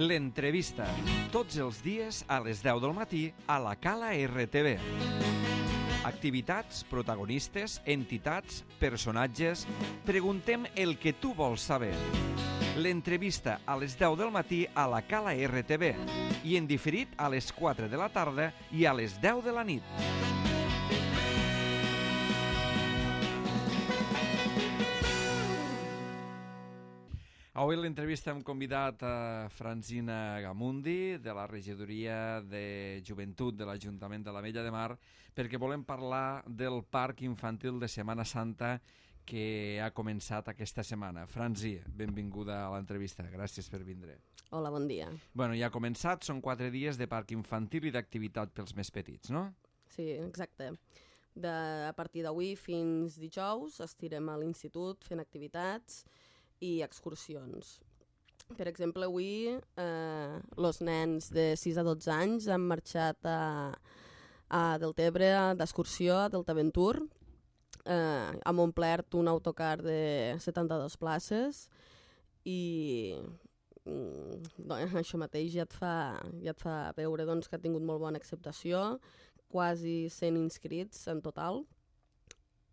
L'entrevista, tots els dies a les 10 del matí a la Cala RTV. Activitats, protagonistes, entitats, personatges... Preguntem el que tu vols saber. L'entrevista a les 10 del matí a la Cala RTV i en diferit a les 4 de la tarda i a les 10 de la nit. Avui a l'entrevista hem convidat a Francina Gamundi, de la Regidoria de Joventut de l'Ajuntament de l'Ametlla de Mar, perquè volem parlar del Parc Infantil de Setmana Santa que ha començat aquesta setmana. Franci, benvinguda a l'entrevista. Gràcies per vindre. Hola, bon dia. Bueno, ja ha començat, són 4 dies de Parc Infantil i d'activitat pels més petits, no? Sí, exacte. A partir d'avui fins dijous estirem a l'institut fent activitats i excursions. Per exemple, avui els nens de 6 a 12 anys han marxat a Deltebre d'excursió a Deltaventur. Hem omplert un autocar de 72 places i això mateix ja et fa veure doncs, que ha tingut molt bona acceptació, quasi 100 inscrits en total,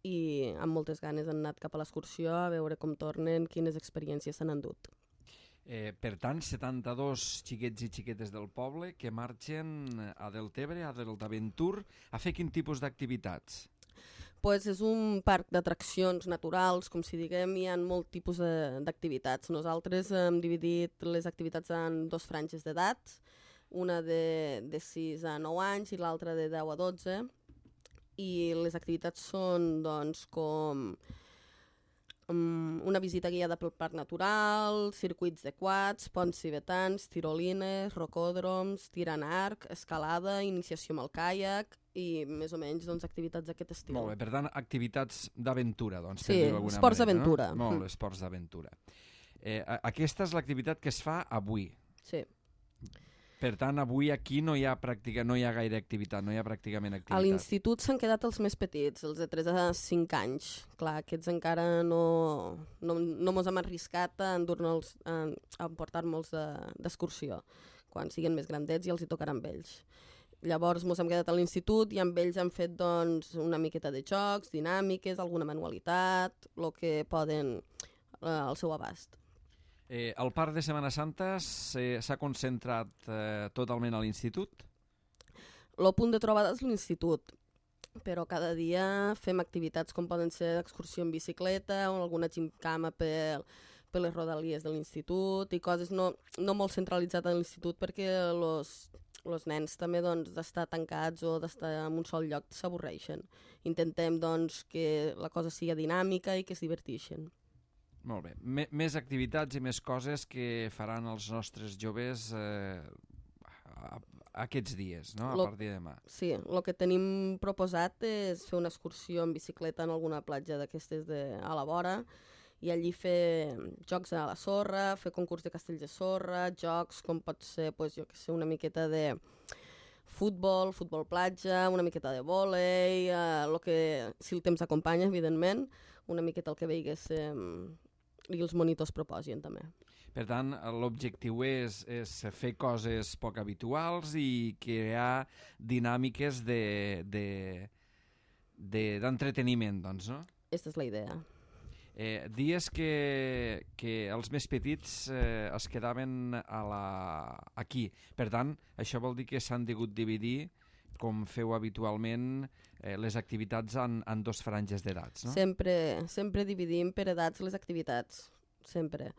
i amb moltes ganes han anat cap a l'excursió a veure com tornen, quines experiències s'han endut. Per tant, 72 xiquets i xiquetes del poble que marxen a Deltebre, a Deltaventur, a fer quin tipus d'activitats? Pues és un parc d'atraccions naturals, com si diguem, hi ha molt tipus d'activitats. Nosaltres hem dividit les activitats en 2 franges d'edat, una de 6 a 9 anys i l'altra de 10 a 12, i les activitats són doncs, com una visita guiada pel parc natural, circuits de quads, ponts tibetans, tirolines, rocòdroms, tir en arc, escalada, iniciació amb el caiac i més o menys doncs, activitats d'aquest estil. Molt bé, per tant, activitats d'aventura, doncs, sí, per dir-ho d'alguna esports manera, d'aventura. No? Molt, esports d'aventura. Aquesta és l'activitat que es fa avui. Sí. Per tant, avui aquí no hi ha gaire activitat, no hi ha pràcticament activitat. A l'institut s'han quedat els més petits, els de 3 a 5 anys. Clar, aquests encara no mos hem arriscat a emportar-nos d'excursió. Quan siguin més grandets ja els hi tocarà amb ells. Llavors mos hem quedat a l'institut i amb ells hem fet doncs, una miqueta de jocs, dinàmiques, alguna manualitat, el que poden al seu abast. El parc de Setmana Santa s'ha concentrat totalment a l'institut? El punt de trobada és l'institut, però cada dia fem activitats com poden ser excursió en bicicleta o alguna gimcama per les rodalies de l'institut i coses no molt centralitzades a l'institut perquè els nens també doncs, d'estar tancats o d'estar en un sol lloc s'avorreixen. Intentem doncs, que la cosa sigui dinàmica i que es diverteixin. Molt bé. Més activitats i més coses que faran els nostres joves aquests dies, no? A partir de demà. Sí, el que tenim proposat és fer una excursió en bicicleta en alguna platja d'aquestes a la vora i allí fer jocs a la sorra, fer concurs de castells de sorra, jocs com pot ser, jo què sé, una miqueta de futbol platja, una miqueta de vòlei, si el temps acompanya, evidentment, una miqueta el que veigues i els monitors proposin també. Per tant, l'objectiu és fer coses poc habituals i crear dinàmiques d'entreteniment, doncs, no? Aquesta és la idea. Dies que els més petits es quedaven aquí. Per tant, això vol dir que s'han degut dividir, com feu habitualment, les activitats en 2 franges d'edats, no? Sempre dividim per edats les activitats, sempre.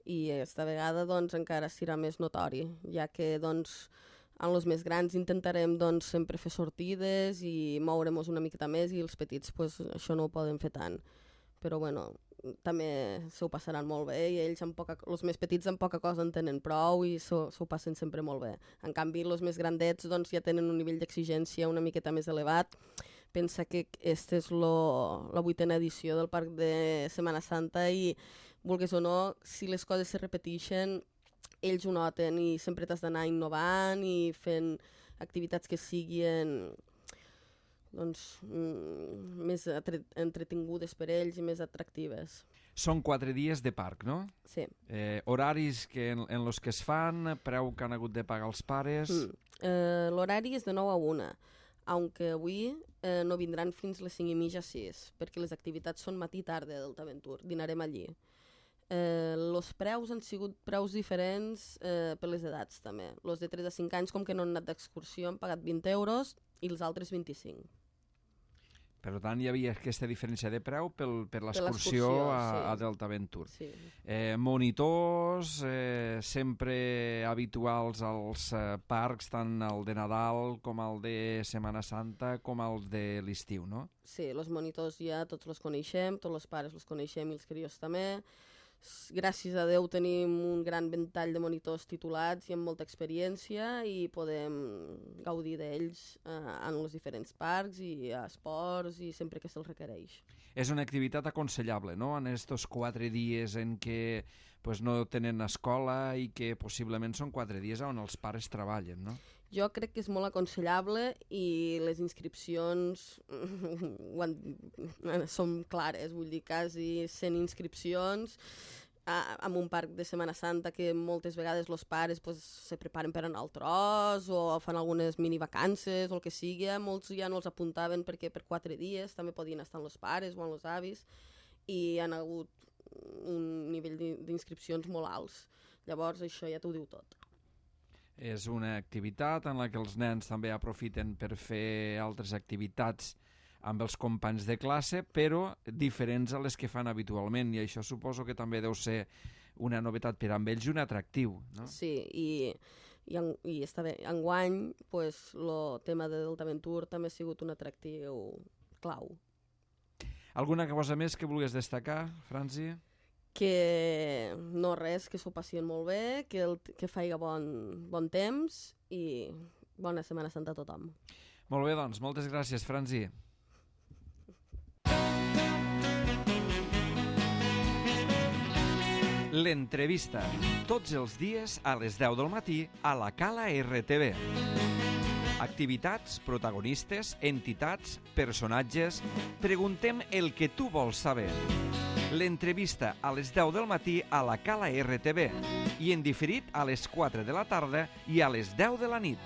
I aquesta vegada doncs, encara serà més notori, ja que doncs, en els més grans intentarem doncs, sempre fer sortides i moure'ns una miqueta més i els petits pues, això no ho poden fer tant. Però bueno, també s'ho passaran molt bé i ells els més petits amb poca cosa en tenen prou i s'ho passen sempre molt bé. En canvi, els més grandets doncs, ja tenen un nivell d'exigència una miqueta més elevat. Pensa que aquesta és la 8a edició del Parc de Setmana Santa i, vulguis o no, si les coses se repeteixen, ells ho noten i sempre t'has d'anar innovant i fent activitats que siguin doncs, més entretingudes per ells i més atractives. Són 4 dies de parc, no? Sí. Horaris en los que es fan, preu que han hagut de pagar els pares... L'horari és de 9 a 1, aunque avui no vindran fins les 5:30 a 6, perquè les activitats són matí i tarda del Taventur, dinarem allí. Els preus han sigut preus diferents per les edats també. Els de 3 a 5 anys, com que no han anat d'excursió, han pagat 20 euros i els altres 25. Per tant, hi havia aquesta diferència de preu per l'excursió a Deltaventur. Sí. Monitors sempre habituals als parcs, tant el de Nadal com el de Setmana Santa com el de l'estiu, no? Sí, els monitors ja tots els coneixem, tots els pares els coneixem i els crios també. Gràcies a Déu tenim un gran ventall de monitors titulats i amb molta experiència i podem gaudir d'ells en els diferents parcs i a esports i sempre que se'ls requereix. És una activitat aconsellable, no?, en aquests 4 dies en què no tenen escola i que possiblement són 4 dies on els pares treballen, no? Jo crec que és molt aconsellable i les inscripcions són clares, vull dir, quasi 100 inscripcions en un parc de Setmana Santa que moltes vegades els pares se preparen per anar al tros o fan algunes minivacances o el que sigui. Molts ja no els apuntaven perquè per 4 dies també podien estar amb els pares o amb els avis i han hagut un nivell d'inscripcions molt alts. Llavors això ja t'ho diu tot. És una activitat en la que els nens també aprofiten per fer altres activitats amb els companys de classe, però diferents a les que fan habitualment, i això suposo que també deu ser una novetat per a ells i un atractiu, no? Sí, i està bé. Enguany, el tema de Deltaventur també ha sigut un atractiu clau. Alguna cosa més que vulguis destacar, Franci? Que no res, que s'ho passien molt bé, que faiga bon temps i bona Setmana Santa a tothom. Molt bé, doncs, moltes gràcies, Franci. L'entrevista, tots els dies a les 10 del matí a la Cala RTV. Activitats, protagonistes, entitats, personatges... Preguntem el que tu vols saber. L'entrevista a les 10 del matí a la Cala RTV i en diferit a les 4 de la tarda i a les 10 de la nit.